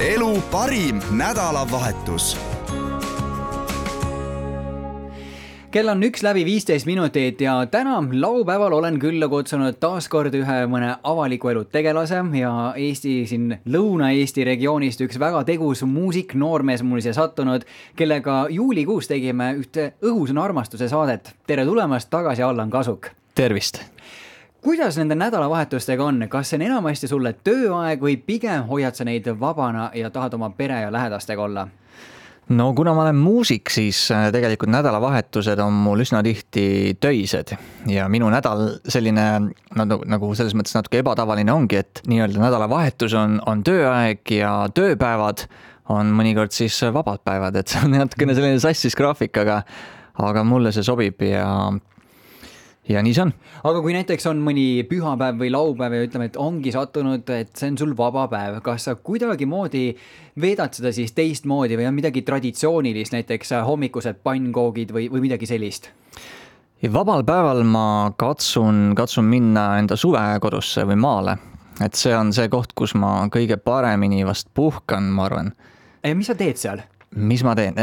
elu parim nädalavahetus. Kell on 1:15 ja täna laupäeval olen külla kutsunud taaskord ühe mõne avaliku elu tegelase ja Eesti siin Lõuna-Eesti regioonist üks väga tegus muusik, noormees mul siia sattunud, kellega juulikuus tegime ühte õhusõna armastuse saadet. Tere tulemast tagasi, Allan Kasuk. Tervist! Kuidas nende nädalavahetustega on? Kas see on enamasti sulle tööaeg või pigem hoiad sa neid vabana ja tahad oma pere ja lähedastega olla? No kuna ma olen muusik, siis tegelikult nädalavahetused on mul üsna tihti töised ja minu nädal selline nagu selles mõttes natuke ebatavaline ongi, et nii-öelda nädalavahetus on tööaeg ja tööpäevad on mõnikord siis vabad päevad, et see on natukene selline sassis graafik, aga mulle see sobib ja nii see on. Aga kui näiteks on mõni pühapäev või laupäev ja ütleme, et ongi sattunud, et see on sul vaba päev, kas sa kuidagi moodi veedad seda siis teistmoodi või on midagi traditsioonilist, näiteks hommikused pannkoogid või midagi sellist? Ja vabal päeval ma katsun minna enda suvekodusse või maale, et see on see koht, kus ma kõige paremini vast puhkan, ma arvan. Ja mis sa teed seal? Mis ma teen?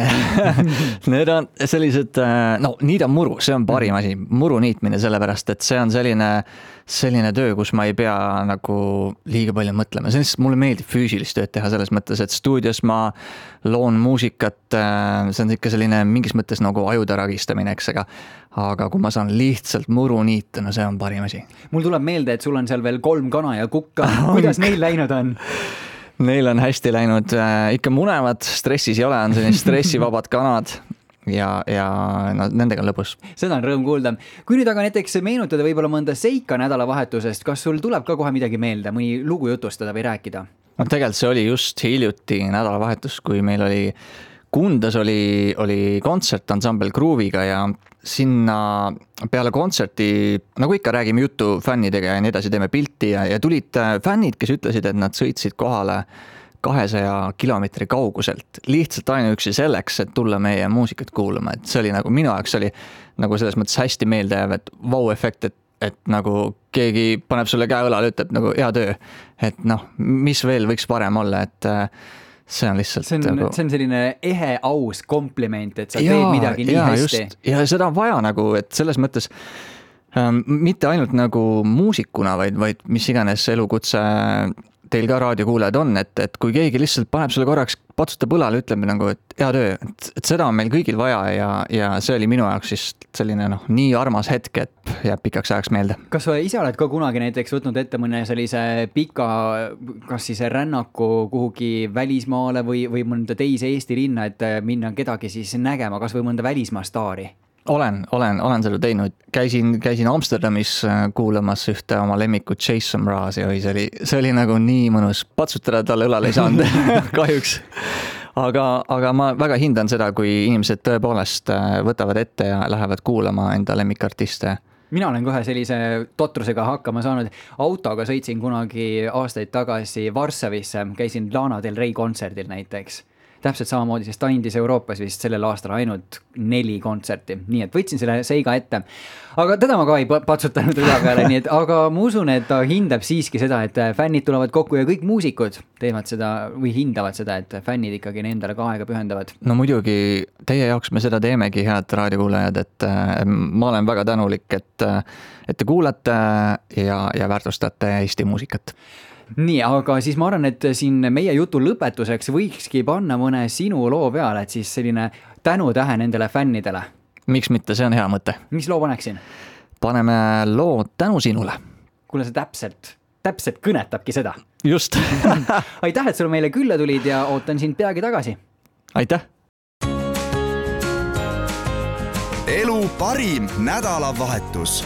Need on sellised, niidan muru, see on parim asi, muru niitmine, sellepärast, et see on selline töö, kus ma ei pea nagu liiga palju mõtlema. Mulle meeldib füüsilist tööd teha selles mõttes, et stuudios ma loon muusikat, see on ikka selline mingis mõttes nagu ajude ragistamine, eks, aga kui ma saan lihtsalt muru niita, no see on parim asi. Mul tuleb meelde, et sul on seal veel 3 kana ja kukka. Kuidas neil läinud on? Neil on hästi läinud, ikka munevad, stressis ei ole, on selline stressivabad kanad ja nendega on lõbus. Seda on rõõm kuulda. Kui nüüd aga näiteks meenutada võib-olla mõnda seika nädalavahetusest, kas sul tuleb ka kohe midagi meelde, mõni lugu jutustada või rääkida? No tegelikult see oli just hiljuti nädalavahetus, kui meil oli Kundas oli kontsert ansambel Grooviga ja sinna peale kontserti, nagu ikka räägime juttu fännidega ja nii edasi, teeme pilti ja tulid fännid, kes ütlesid, et nad sõitsid kohale 200 kilomeetri kauguselt lihtsalt ainuüksi selleks, et tulla meie muusikat kuulama. Et see oli nagu minu jaoks oli nagu selles mõttes hästi meeldejääv, et vau-efekt, et nagu keegi paneb sulle käe õlale, ütleb nagu hea töö. Et mis veel võiks parem olla, et see on lihtsalt see on selline ehe aus kompliment, et sa teed midagi nii hästi. Just, ja seda on vaja nagu, et selles mõttes mitte ainult nagu muusikuna, vaid mis iganes elukutse teil ka raadiokuulajad on, et kui keegi lihtsalt paneb sulle korraks, patsutab õlale, ütleb nagu, et hea töö, et seda on meil kõigil vaja ja see oli minu jaoks siis selline nii armas hetk, et jääb pikaks ajaks meelde. Kas sa ise oled ka kunagi näiteks võtnud ette mõne sellise pika, kas siis rännaku kuhugi välismaale või mõnda teise Eesti linna, et minna kedagi siis nägema, kas või mõnda välismaa staari? Olen seda teinud. Käisin Amsterdamis kuulamas ühte oma lemmikut Jason Mrazi, see oli nagu nii mõnus, patsutada talle õlale ei saanud kahjuks. Aga ma väga hindan seda, kui inimesed tõepoolest võtavad ette ja lähevad kuulama enda lemmikartiste. Mina olen kohe sellise totrusega hakkama saanud. Autoga sõitsin kunagi aastaid tagasi Varssavisse, käisin Lana Del Rey kontserdil näiteks. Täpselt samamoodi, sest ta andis Euroopas vist sellel aastal ainult 4 kontserti. Nii et võtsin selle seiga ette. Aga teda ma ka ei patsutanud üle peale, nii et, aga ma usun, et ta hindab siiski seda, et fännid tulevad kokku ja kõik muusikud teevad seda või hindavad seda, et fännid ikkagi endale ka aega pühendavad. No muidugi teie jaoks me seda teemegi, head raadiokuulajad, et ma olen väga tänulik, et te kuulate ja väärtustate Eesti muusikat. Nii, aga siis ma arvan, et siin meie jutu lõpetuseks võikski panna mõne sinu loo peale, et siis selline tänutähe nendele fännidele. Miks mitte, see on hea mõte. Mis loo paneksin? Paneme loo Tänu sinule. Kuule, see täpselt kõnetabki seda. Just. Aitäh, et sul meile külla tulid ja ootan sind peagi tagasi. Aitäh. Elu parim nädalavahetus.